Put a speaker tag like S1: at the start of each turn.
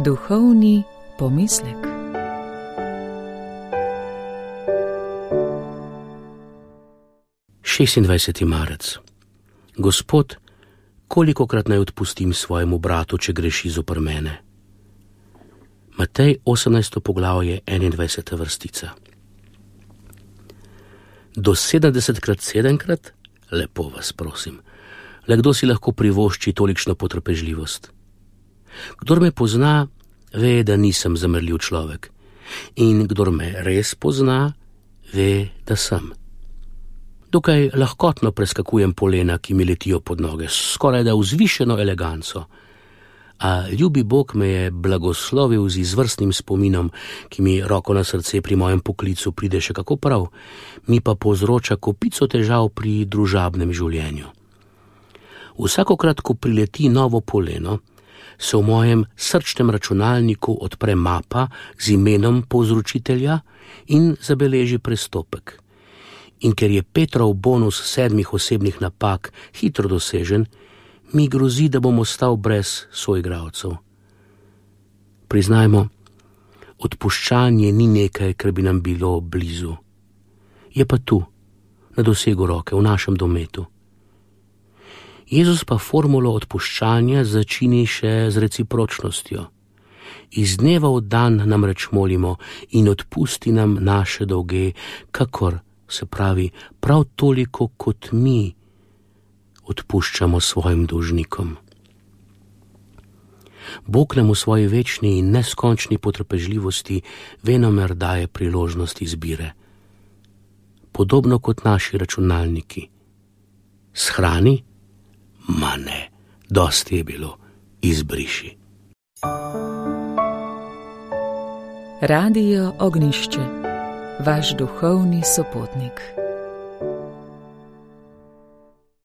S1: Duhovni pomislek.
S2: Marec. Gospod, kolikokrat naj odpustim svojemu bratu, če greši zoper mene? Matej 18. poglavje 21. vrstica. Do 70krat 7krat? Lepo vas prosim. Le kdo si lahko privošči tolikšno potrpežljivost? Kdor me pozna, ve, da nisem zamrljiv človek. In kdor me res pozna, ve, da sem. Dokaj lahkotno preskakujem polena, ki mi letijo pod noge, skoraj da vzvišeno eleganco. A ljubi Bog me je blagoslovil z izvrstnim spominom, ki mi roko na srce pri mojem poklicu pride še kako prav, mi pa povzroča kopico težav pri družabnem življenju. Vsakokrat, ko prileti novo poleno, se v mojem srčnem računalniku odpre mapa z imenom povzročitelja in zabeleži prestopek. In ker je Petrov bonus 7 osebnih napak hitro dosežen, mi grozi, da bom ostal brez soigralcev. Priznajmo, odpuščanje ni nekaj, kar bi nam bilo blizu. Je pa tu, na dosegu roke, v našem dometu. Jezus pa formulo odpuščanja začini še z recipročnostjo. Iz dneva v dan namreč molimo in odpusti nam naše dolge, kakor, se pravi, prav toliko kot mi odpuščamo svojim dolžnikom. Bog nam v svoji večni in neskončni potrpežljivosti venomer daje priložnost izbire. Podobno kot naši računalniki. Shrani? Ma ne, dosti je bilo, izbriši.
S1: Radio Ognjišče, vaš duhovni sopotnik.